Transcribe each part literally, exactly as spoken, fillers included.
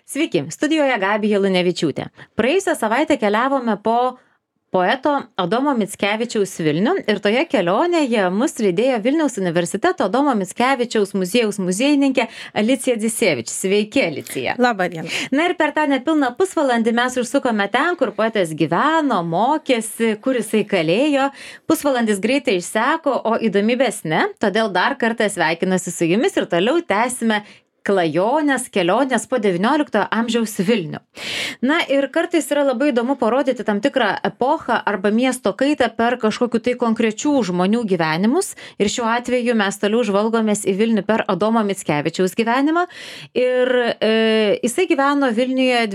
Sveiki, studijoje Gabija Lunevičiūtė. Praėjusią savaitę keliavome po poeto Adomo Mickevičiaus Vilnių ir toje kelionėje mus lydėjo Vilniaus universiteto Adomo Mickevičiaus muziejaus muziejininkė Alicija Dzisevič. Sveiki, Alicija. Labą dieną. Na ir per tą nepilną pusvalandį mes užsukome ten, kur poetas gyveno, mokėsi, kur jisai kalėjo. Pusvalandis greitai išseko, o įdomybės ne, todėl dar kartą sveikinasi su jumis ir toliau tęsime klajonės, kelionės po devynioliktojo amžiaus Vilnių. Na ir kartais yra labai įdomu parodyti tam tikrą epochą arba miesto kaitą per kažkokiu tai konkrečių žmonių gyvenimus. Ir šiuo atveju mes toliau žvalgomės į Vilnių per Adomo Mickevičiaus gyvenimą. Ir e, jisai gyveno Vilniuje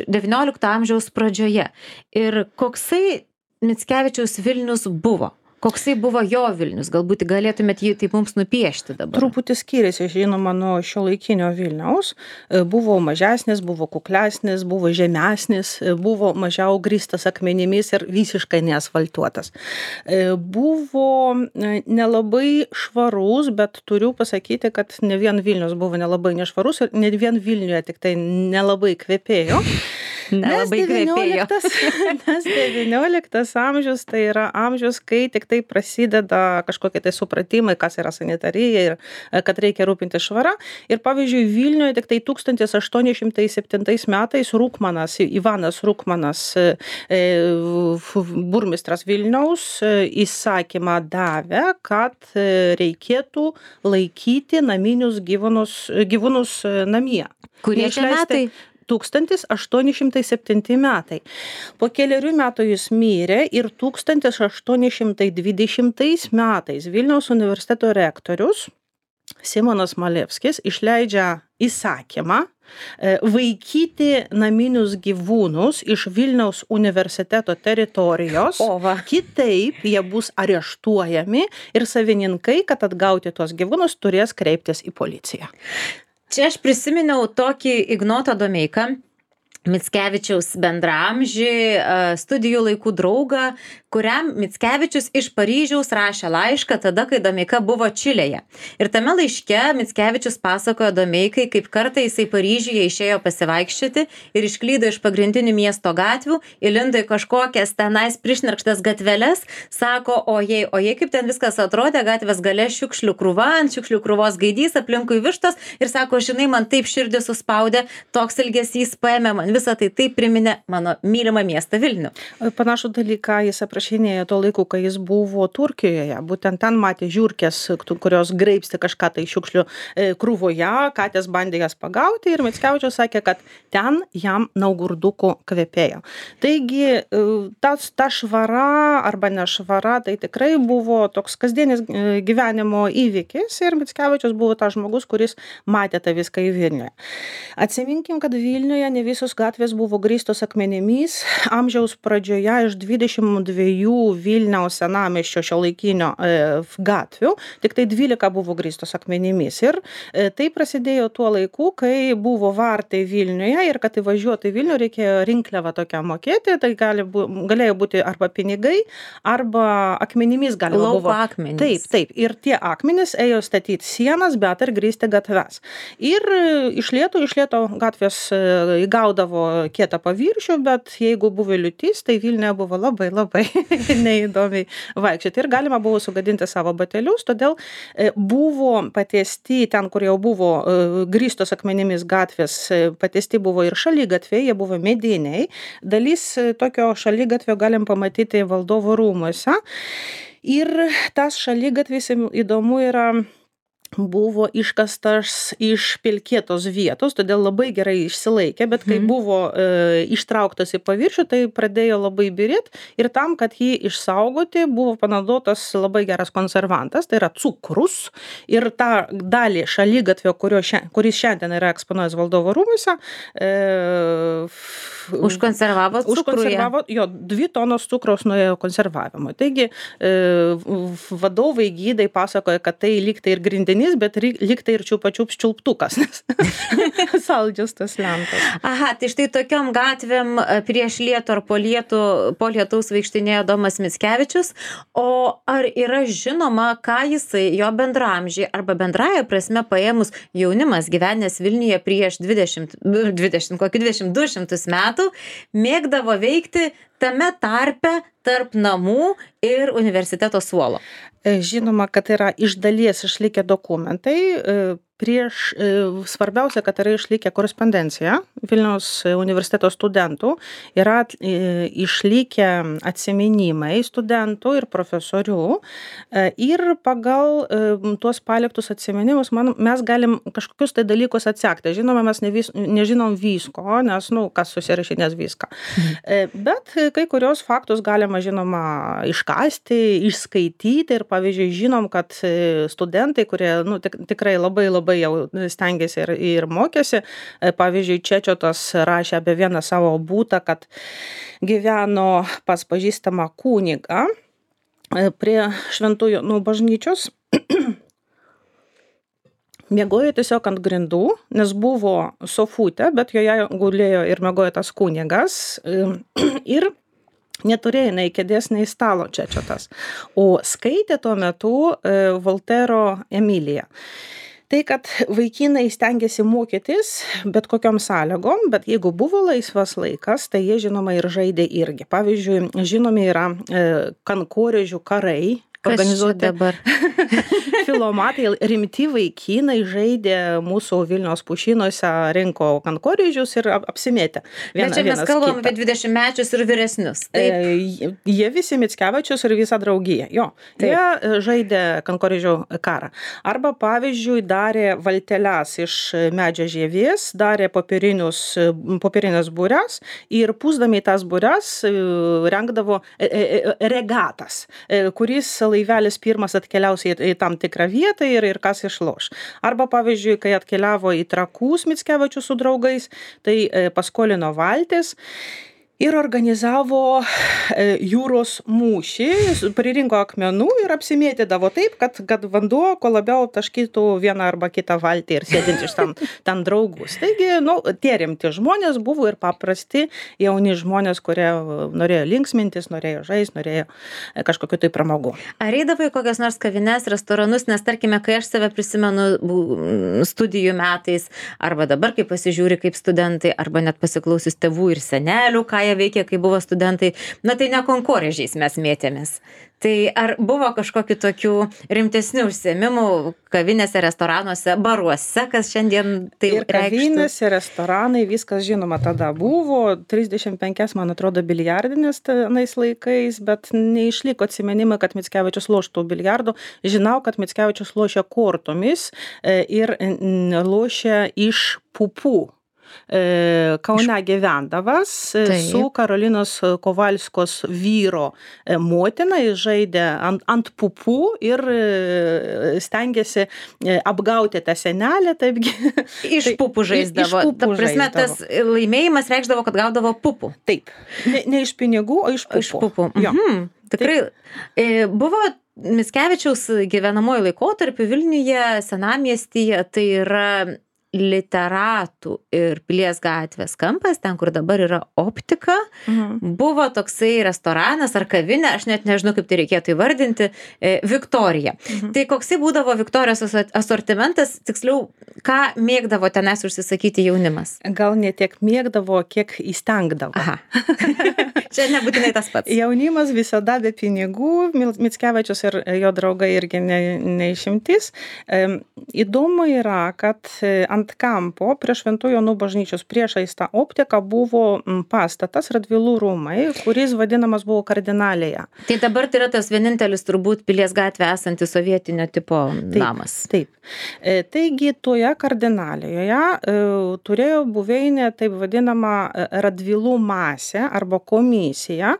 devyniolikto amžiaus pradžioje. Ir koksai Mickevičiaus Vilnius buvo? Koksai buvo jo Vilnius? Galbūt galėtumėt jį taip mums nupiešti dabar. Truputį skiriasi, žinoma, nuo šiuolaikinio Vilniaus. Buvo mažesnis, buvo kuklesnis, buvo žemesnis, buvo mažiau grįstas akmenimis ir visiškai neasfaltuotas. Buvo nelabai švarus, bet turiu pasakyti, kad ne vien Vilnius buvo nelabai nešvarus ir ne vien Vilniuje tik tai nelabai kvepėjo. Nes devynioliktas, nes devynioliktas amžius tai yra amžius, kai tik tai prasideda kažkokie tai supratimai, kas yra sanitarija ir kad reikia rūpinti švara. Ir pavyzdžiui, Vilniuje tik tai tūkstantis aštuoni šimtai septintais metais Rukmanas, Ivanas Rukmanas, burmistras Vilniaus, įsakymą davė, kad reikėtų laikyti naminius gyvūnus, gyvūnus namie. Kurie šie metai? tūkstantis aštuoni šimtai septinti metai. Po keliarių metų jis mirė ir tūkstantis aštuoni šimtai dvidešimtais metais Vilniaus universiteto rektorius Simonas Malevskis išleidžia įsakymą vaikyti naminius gyvūnus iš Vilniaus universiteto teritorijos. O va. Kitaip jie bus areštuojami ir savininkai, kad atgauti tuos gyvūnus, turės kreiptis į policiją. Čia aš prisiminiau tokį Ignotą Domeiką, Mickevičiaus bendraamžį, studijų laikų draugą, kuriam Mickevičius iš Paryžiaus rašė laišką tada, kai Domeika buvo Čilėje. Ir tame laiške Mickevičius pasakojo Domeikai, kaip kartą jisai Paryžiuje išėjo pasivaikščioti ir išklydo iš pagrindinių miesto gatvių, įlindo į kažkokias tenais prišnarkštas gatveles, sako, ojei, ojei, kaip ten viskas atrodė, gatvės gale šiukšlių krūva, ant šiukšlių krūvos gaidys, aplinkui vištos ir sako, žinai, man taip širdį suspaudė, toks ilgesys paėmė man. Visą tai taip priminė mano mylimą miestą Vilnių. Panašų dalyką jis aprašinėjo tuo laiku, kai jis buvo Turkijoje. Būtent ten matė žiurkės, kurios graibstė kažką tai šiukšlių krūvoje, katės bandė jas pagauti ir Mickevičius sakė, kad ten jam naugurdukų kvepėjo. Taigi tas, ta švara arba nešvara, tai tikrai buvo toks kasdienis gyvenimo įvykis ir Mickevičius buvo tas žmogus, kuris matė tą viską į Vilniuje. Atsiminkim, kad Vilniuje ne visos gatvės buvo grįstos akmenimis. Amžiaus pradžioje iš dvidešimt dviejų Vilniaus senamiesčio šiuolaikinio e, gatvių, tik tai dvylika buvo grįstos akmenimis. Ir e, tai prasidėjo tuo laiku, kai buvo vartai Vilniuje ir kad įvažiuoti į Vilnių reikėjo rinkliavą tokią mokėti, tai gali bu, galėjo būti arba pinigai, arba akmenimis galima Lauko buvo. Akmenys. Taip, taip. Ir tie akmenys ėjo statyti sienas, bet ir grįsti gatves. Ir iš lėto, iš lėto gatvės įgaudavo kietą paviršių, bet jeigu buvo liūtis, tai Vilniuje buvo labai, labai neįdomiai vaikščioti. Ir galima buvo sugadinti savo batelius, todėl buvo patiesti ten, kur jau buvo grįstos akmenimis gatvės, patiesti buvo ir šaligatviai, jie buvo mediniai. Dalis tokio šaligatvio galim pamatyti Valdovo rūmuose. Ir tas šaligatvis įdomu yra buvo iškastas iš pelkėtos vietos, todėl labai gerai išsilaikė, bet kai mm. buvo e, ištrauktas į paviršių, tai pradėjo labai birėti ir tam, kad jį išsaugoti, buvo panaudotas labai geras konservantas, tai yra cukrus ir tą dalį šaligatvio, kuris šiandien yra eksponuojas Valdovo rūmuose, e, Užkonservavo cukrų. Užkonservavo, jo, dvi tonos cukraus nuėjo konservavimui. Taigi vadovai gydai pasakoja, kad tai lyg tai ir grindinys, bet lyg tai ir čiupačiups čiulptukas, nes saldžius tas lentas. Aha, tai štai tokiom gatvėm prieš lietų ar po lietų, po lietaus vaikštinėjo Domas Mickevičius, o ar yra žinoma, ką jisai, jo bendraamžiai arba bendraja prasme paėmus jaunimas gyvenęs Vilniuje prieš dvidešimt, dvidešimt, kokį dvidešimt du šimtus metų, mėgdavo veikti tame tarpe tarp namų ir universiteto suolo? Žinoma, kad yra iš dalies išlikę dokumentai. Prieš, svarbiausia, kad yra išlikę korespondencija Vilniaus universiteto studentų, yra išlikę atsiminimai studentų ir profesorių ir pagal tuos paliktus atsiminimus man, mes galim kažkokius tai dalykus atsekti. Žinoma, mes ne vis, nežinom visko, nes, nu, kas susirašinės viską. Mhm. Bet kai kurios faktus galima, žinoma, iškasti, išskaityti ir, pavyzdžiui, žinom, kad studentai, kurie, nu, tik, tikrai labai labai labai jau stengiasi ir, ir mokėsi. Pavyzdžiui, Čečiotas rašė apie vieną savo būtą, kad gyveno pas pažįstamą kunigą prie Šventųjų nu, bažnyčios. Miegojo tiesiog ant grindų, nes buvo sofutė, bet joje gulėjo ir miegojo tas kunigas. Ir neturėjo nei kėdės, nei stalo Čečiotas. O skaitė tuo metu Voltero Emiliją. Tai, kad vaikinai stengiasi mokytis bet kokiom sąlygom, bet jeigu buvo laisvas laikas, tai jie žinoma ir žaidė irgi. Pavyzdžiui, žinomi yra e, kankorėžių karai. Organizuoti dabar. Filomatai, rimti vaikinai žaidė mūsų Vilniaus pušynuose, rinko kankorėžius ir apsimėtė. Viena, Bet čia mes kalbam apie dvidešimtmečius ir vyresnius. Taip. E, jie visi Mickevičius ir visa draugija. Jo, Taip. Jie žaidė kankorėžių karą. Arba, pavyzdžiui, darė valteles iš medžio žievės, darė popierinės būres ir pūsdami tas būres rengdavo regatas, kuris laivelis pirmas atkeliaus į, į tam tikrą vietą ir, ir kas išloš. Arba, pavyzdžiui, kai atkeliavo į Trakus Mickevičius su draugais, tai e, paskolino valtis ir organizavo e, jūros mūšį, pririnko akmenų ir apsimėtydavo taip, kad, kad vanduo kuo labiau taškytų vieną arba kitą valtį ir sėdint iš tam, tam draugus. Taigi, nu, tie rimti žmonės buvo ir paprasti jauni žmonės, kurie norėjo linksmintis, norėjo žaisti, norėjo kažkokiu tai pramogų. Ar eidavai kokias nors kavines, restoranus, nes tarkime, kai aš save prisimenu studijų metais, arba dabar, kai pasižiūri kaip studentai, arba net pasiklausius tėvų ir senelių, ką jie veikė, kai buvo studentai, na tai ne konkorėžiais mes mėtėmės. Tai ar buvo kažkokių tokių rimtesnių užsiėmimų kavinėse, restoranuose, baruose, kas šiandien tai ir kavinėse, restoranai, viskas žinoma tada buvo, trisdešimt penki, man atrodo, biliardinės tenais laikais, bet neišliko atsimenimai, kad Mickevičius loštų biliardų. Žinau, kad Mickevičius lošė kortomis ir lošė iš pupų. Kaune gyvendavas Taip. Su Karolinos Kovalskos vyro motina, jis žaidė ant, ant pupų ir stengėsi apgauti tą senelę. Taipgi. Iš pupų žaisdavo. Iš pupų Ta prasme, žaisdavo. Tas laimėjimas reikšdavo, kad gaudavo pupų. Taip. Ne, ne iš pinigų, o iš pupų. Iš pupų. Mhm. Tikrai. Taip. Buvo Mickevičiaus gyvenamojo laikotarpiu Vilniuje, senamiestyje, tai yra Literatų ir Pilies gatvės kampas, ten, kur dabar yra optika, mhm. buvo toksai restoranas ar kavinė, aš net nežinau, kaip tai reikėtų įvardinti, e, Viktorija. Mhm. Tai koksai būdavo Viktorijos asortimentas, tiksliau, ką mėgdavo tenais užsisakyti jaunimas? Gal ne tiek mėgdavo, kiek įstengdavo. Aha. Čia nebūtinai tas pats. Jaunimas visada be pinigų, Mickevičius ir jo draugai irgi ne, neišimtis. E, įdomu yra, kad ant kampo prie Šventų Jonų bažnyčios priešais tą optiką buvo pastatas Radvilų rūmai, kuris vadinamas buvo Kardinalėje. Tai dabar tai yra tas vienintelis turbūt Pilies gatvė esantis sovietinio tipo taip, namas. Taip. E, taigi toje Kardinalėje e, turėjo buveinė taip vadinama Radvilų masė arba komisija. komisija,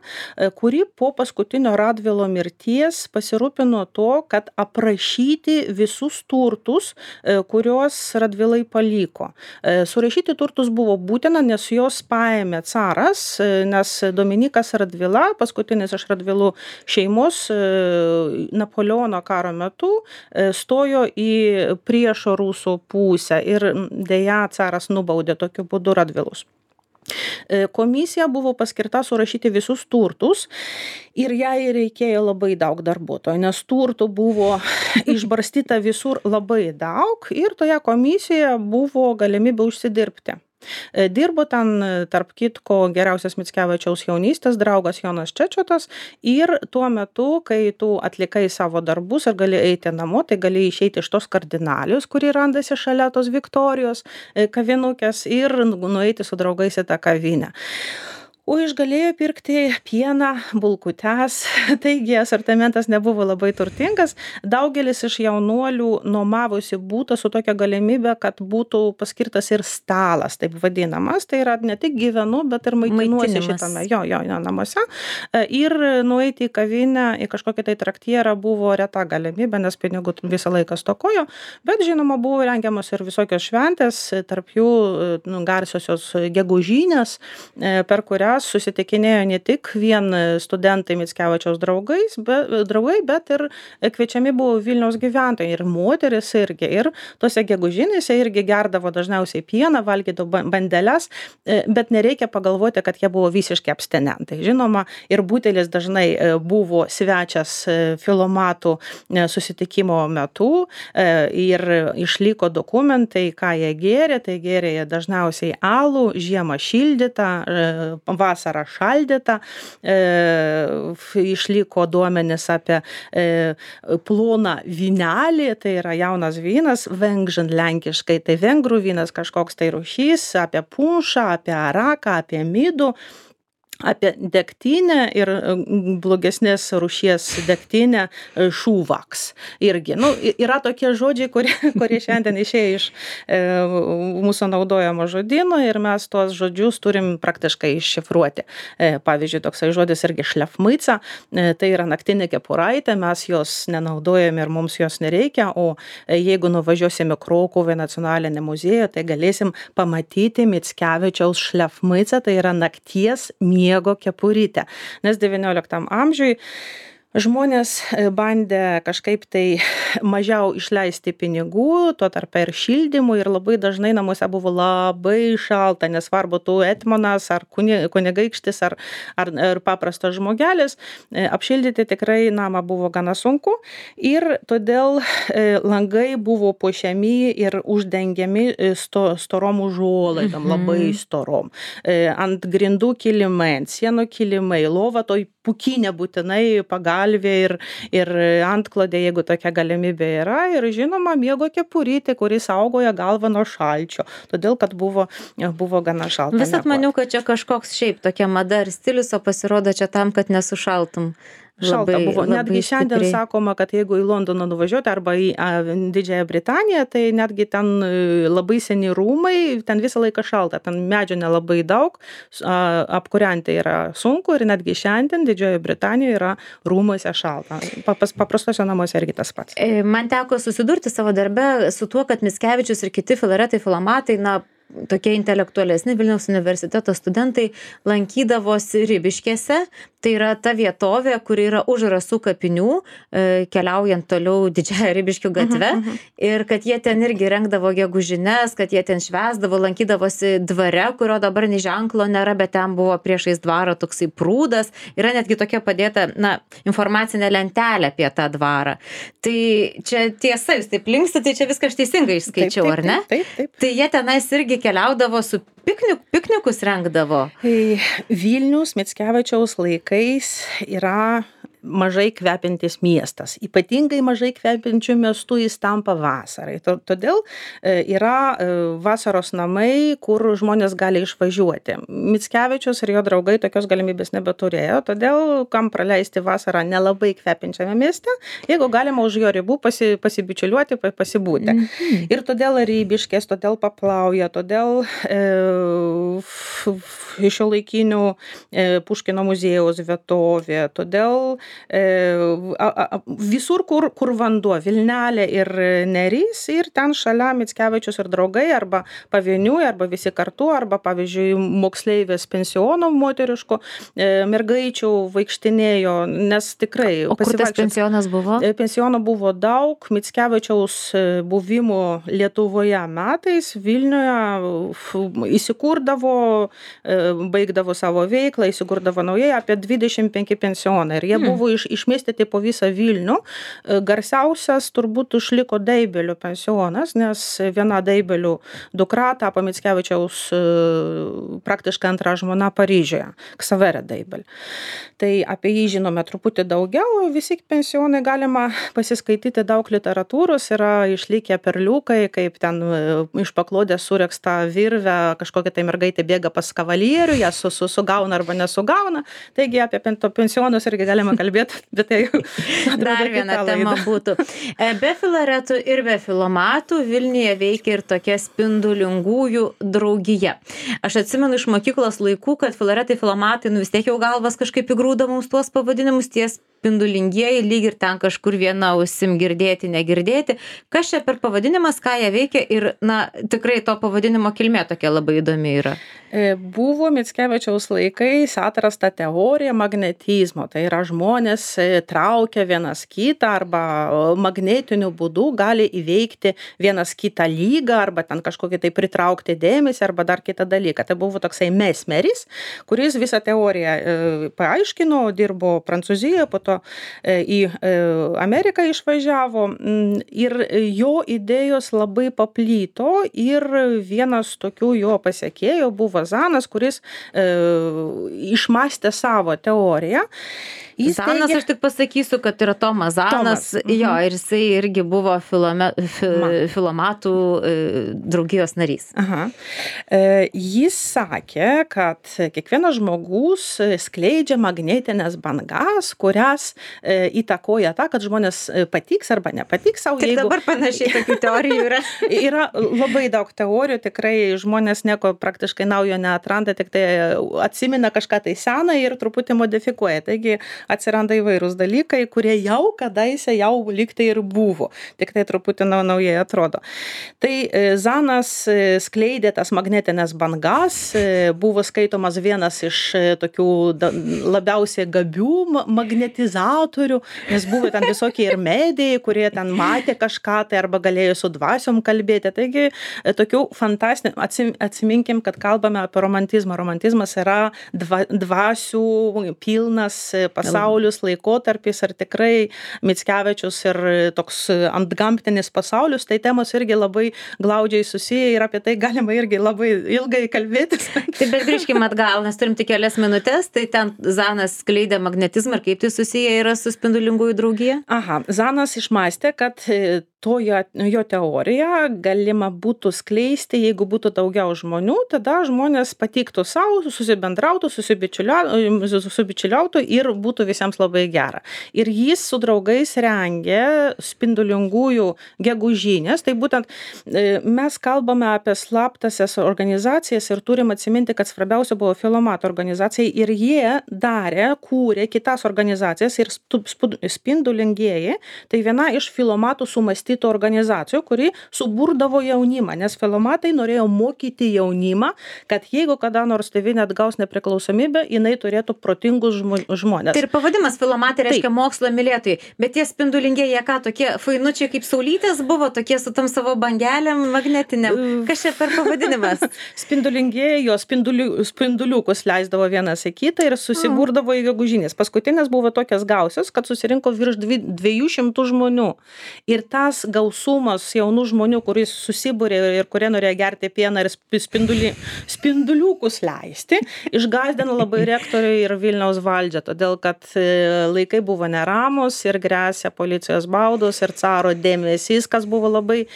kuri po paskutinio Radvilo mirties pasirūpino to, kad aprašyti visus turtus, kuriuos Radvilai paliko. Surašyti turtus buvo būtina, nes jos paėmė caras, nes Dominykas Radvila, paskutinis iš Radvilų šeimos, Napoleono karo metu stojo į priešo rusų pusę ir deja caras nubaudė tokiu būdu Radvilus. Komisija buvo paskirta surašyti visus turtus ir jai reikėjo labai daug darbuotojų, nes turtų buvo išbarstyta visur labai daug ir toje komisijoje buvo galimybė užsidirbti. Dirbo ten, tarp kitko, geriausias Mickevičiaus jaunystės draugas Jonas Čečotas ir tuo metu, kai tu atlikai savo darbus ir gali eiti namo, tai gali išeiti iš tos kardinalijos, kuri randasi šalia tos Viktorijos kavinukės ir nueiti su draugais į tą kavinę. O išgalėjo pirkti pieną, bulkutes, taigi asortimentas nebuvo labai turtingas. Daugelis iš jaunuolių nuomavosi būtą su tokia galimybė, kad būtų paskirtas ir stalas, taip vadinamas. Tai yra ne tik gyvenu, bet ir maitinuosi šitame jo, jo, jo namuose. Ir nueiti į kavinę, į kažkokį tai traktierą buvo reta galimybė, nes pinigų visą laiką stokojo. Bet žinoma, buvo rengiamos ir visokios šventės, tarp jų nu, garsiosios gegužinės, per kurią susitikinėjo ne tik vien studentai Mickevičiaus draugais, bet, draugai, bet ir kviečiami buvo Vilniaus gyventojai ir moteris irgi. Ir tose gegužinėse irgi gerdavo dažniausiai pieną, valgydavo bandeles, bet nereikia pagalvoti, kad jie buvo visiškai abstinentai. Žinoma, ir butelis dažnai buvo svečias filomatų susitikimo metu ir išliko dokumentai, ką jie gėrė, tai gėrė jie dažniausiai alų, žiemą šildytą, vasarą šaldytą, e, išliko duomenis apie e, ploną vynelį, tai yra jaunas vynas, vengžin lenkiškai, tai vengrų vynas kažkoks tai rūšys, apie punšą, apie araką, apie midų, apie degtinę ir blogesnės rūšies degtinę šūvaks. Irgi, nu, yra tokie žodžiai, kurie, kurie šiandien išėjo iš e, mūsų naudojamo žodyno ir mes tuos žodžius turim praktiškai iššifruoti. E, pavyzdžiui, toksai žodis irgi šlefmaica, e, tai yra naktinė kepuraitė, mes jos nenaudojame ir mums jos nereikia, o jeigu nuvažiuosime Krokuvą nacionalinį muziejų, tai galėsim pamatyti Mickevičiaus šlefmaicą, tai yra nakties miego kepurytę. Nes devynioliktam amžiui žmonės bandė kažkaip tai mažiau išleisti pinigų, tuo tarp ir šildymų ir labai dažnai namuose buvo labai šalta, nesvarbu tu etmonas ar kunigaikštis ar, ar, ar paprastas žmogelis, apšildyti tikrai namą buvo gana sunku ir todėl langai buvo puošiami ir uždengiami sto, storom užuolaidom, mhm. labai storom. Ant grindų kilimai, ant sienų kilimai, lova toj pukinė būtinai pagalvė ir, ir antklodė, jeigu tokia galimybė yra. Ir žinoma, miego kepurytė, kuris saugoja galvą nuo šalčio, todėl kad buvo, buvo gana šalta. Visat maniau, kad čia kažkoks šiaip tokia mada ir stilius, o pasirodo čia tam, kad nesušaltum. Šalta Labai, buvo. Netgi šiandien stipriai. sakoma, kad jeigu į Londoną nuvažiuoti arba į a, Didžiąją Britaniją, tai netgi ten labai seni rūmai, ten visą laiką šalta, ten medžio nelabai daug, a, apkūrenti yra sunku ir netgi šiandien Didžiojoje Britanijoje yra rūmuose šalta. Papas, paprastose namuose irgi tas pats. Man teko susidurti savo darbe su tuo, kad Mickevičius ir kiti filaretai, filomatai, na, tokie intelektualesni Vilniaus universiteto studentai lankydavosi Ribiškėse, tai yra ta vietovė, kuri yra už Rasų kapinių, keliaujant toliau Didžiąją Ribiškių gatvę, uh -huh, uh -huh. ir kad jie ten irgi rengdavo gegužines, kad jie ten švęsdavo, lankydavosi dvare, kurio dabar nei ženklo nėra, bet ten buvo priešais dvarą toksai prūdas, yra netgi tokia padėta, na, informacinė lentelė apie tą dvarą. Tai čia tiesa, jūs taip linksite, tai čia viską aš teisingai išskaičiau, taip, taip, ar ne? Taip, taip, taip. Tai jie tenais irgi keliaudavo su piknik, piknikus rengdavo. Vilnius Mickevičiaus laikais yra mažai kvepiantis miestas. Ypatingai mažai kvepiančių miestų jis tampa vasarai. Todėl yra vasaros namai, kur žmonės gali išvažiuoti. Mickevičius ir jo draugai tokios galimybės nebeturėjo, todėl kam praleisti vasarą nelabai kvepiančiame mieste, jeigu galima už jo ribų pasi, pasibičiuliuoti, pasibūti. Mm-hmm. Ir todėl Ribiškės, todėl Paplauja, todėl e, šiuolaikinių Puškino muziejaus vietovė. Todėl visur, kur, kur vanduo, Vilnelė ir Nerys, ir ten šalia Mickevičius ir draugai, arba pavieniui, arba visi kartu, arba, pavyzdžiui, moksleivės pensiono moteriško mergaičių vaikštinėjo, nes tikrai... O kur tas pensionas buvo? Pensiono buvo daug. Mickevičiaus buvimo Lietuvoje metais Vilniuje įsikurdavo, baigdavo savo veiklą, įsikurdavo naujai apie dvidešimt penki pensionai. Ir jie hmm. buvo iš, išmėstyti po visą Vilnių. Garsiausias turbūt išliko Deibelių pensionas, nes viena Deibelių dukra tapo Mickevičiaus praktiškai antra žmona Paryžiuje, Ksaverė Deibelė. Tai apie jį žinome truputį daugiau. Visi pensionai galima pasiskaityti, daug literatūros, yra išlikę perliukai, kaip ten iš paklodės suregsta virvę, kažkokia tai mergaitė bėga pas kavalierių, ją su, su, sugauna arba nesugauna. Taigi apie pensionus irgi galima kalbėti, bet tai dar viena tema būtų. Be filaretų ir be filomatų Vilniuje veikia ir tokia spindulingųjų draugija. Aš atsimenu iš mokyklos laikų, kad filaretai, filomatai, nu vis tiek jau galvas kažkaip įgrūda mums tuos pavadinimus, ties spindulingieji, lyg ir ten kažkur viena ausim girdėti, negirdėti. Kas čia per pavadinimas, ką jie veikia ir, na, tikrai to pavadinimo kilmė tokia labai įdomi yra. Buvo Mickevičiaus laikais atrasta teorija magnetizmo. Tai yra žmonės traukia vienas kitą arba magnetiniu būdu gali įveikti vienas kitą lygą arba ten kažkokį tai pritraukti dėmesį arba dar kitą dalyką. Tai buvo toksai Mesmeris, kuris visą teoriją paaiškino, dirbo Prancūzijoje, po to į Ameriką išvažiavo ir jo idėjos labai paplyto ir vienas tokių jo pasiekėjų buvo Zanas, kuris e, išmastė savo teoriją. Jis Zanas, teigia, aš tik pasakysiu, kad yra Tomas Zanas, Tomas. Jo, ir jisai irgi buvo filome, fi, filomatų e, draugijos narys. Aha. E, jis sakė, kad kiekvienas žmogus skleidžia magnetinės bangas, kurias e, įtakoja tą, kad žmonės patiks arba nepatiks savo. Tik jeigu... dabar panašiai tokių teorijų yra. Yra labai daug teorijų, tikrai žmonės nieko praktiškai naujo neatranda, tik tai atsimena kažką tai seną ir truputį modifikuoja. Taigi atsiranda įvairūs dalykai, kurie jau kadaise jau lygtai ir buvo, tik tai truputį naujai atrodo. Tai Zanas skleidė tas magnetinės bangas, buvo skaitomas vienas iš tokių labiausiai gabių magnetizatorių, nes buvo ten visokie ir medijai, kurie ten matė kažką tai arba galėjo su dvasiom kalbėti. Taigi tokių fantastinių, atsiminkim, kad kalbame apie romantizmą. Romantizmas yra dva, dvasių pilnas pasaulis. Pasaulius laikotarpis, ar tikrai Mickevičius ir toks antgamtinis pasaulius, tai temos irgi labai glaudžiai susiję ir apie tai galima irgi labai ilgai kalbėtis. Taip, bet grįžkime atgal, nes turim tik kelias minutės, tai ten Zanas skleidė magnetizmą ir kaip tai susiję yra su spindulingųjų draugija? Aha, Zanas išmastė, kad to jo, jo teorija galima būtų skleisti, jeigu būtų daugiau žmonių, tada žmonės patiktų savo, susibendrautų, susibičiuliautų ir būtų visiems labai gera. Ir jis su draugais rengė spindulingųjų gegužinės, tai būtent mes kalbame apie slaptasias organizacijas ir turim atsiminti, kad svarbiausia buvo filomatų organizacija ir jie darė, kūrė kitas organizacijas ir spindulingieji, tai viena iš filomatų sumąstytų organizacijų, kuri suburdavo jaunimą, nes filomatai norėjo mokyti jaunimą, kad jeigu kada nors tėvynė atgaus nepriklausomybę, jinai turėtų protingus žmonės. Tai ir pavadimas filomatai reiškia mokslo mylėtojai, bet tie spindulingieji, jie ką, tokie fainučiai kaip saulytės buvo, tokie su tam savo bangelėm magnetiniam. Kas čia per pavadinimas? Spindulingieji, jo spinduliu, spinduliukus leisdavo vienas į kitą ir susiburdavo į gegužinės. Paskutinės buvo tokias gausios, kad susirinko virš dviejų šimtų žmonių. Ir tas gausumas jaunų žmonių, kuris susibūrė ir kurie norėjo gerti pieną ir spinduli, spinduliukus leisti, išgąsdino labai rektorių ir Vilniaus valdžią, todėl kad laikai buvo neramus ir grėsė policijos baudos ir caro dėmesys, kas buvo labai e,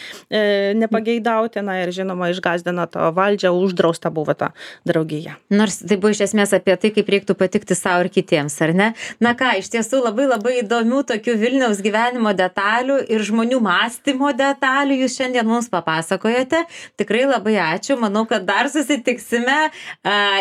nepageidautina ir žinoma išgąsdino tą valdžią, uždrausta buvo ta draugija. Nors tai buvo iš esmės apie tai, kaip reiktų patikti savo ir kitiems, ar ne? Na ką, iš tiesų labai labai įdomių tokių Vilniaus gyvenimo detalių ir žmonių mąstymo detalių jūs šiandien mums papasakojote. Tikrai labai ačiū. Manau, kad dar susitiksime.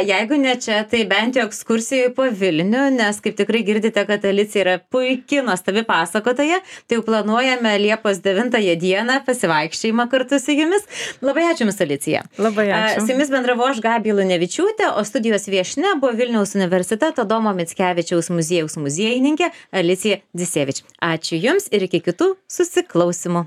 Jeigu ne čia, tai bent jau ekskursijoje po Vilnių, nes kaip tikrai girdite, kad Alicija yra puikiai nuostabi pasakotoja. Tai jau planuojame Liepos devintąją dieną pasivaikščiojimą kartu su jumis. Labai ačiū Jums, Alicija. Labai ačiū. Su jumis bendravau aš, Gabija Lunevičiūtė, o studijos viešnia buvo Vilniaus universiteto Adomo Mickevičiaus muziejaus muziejininkė Alicija Dzisevič. Ačiū Jums ir iki kitų susiklausimų.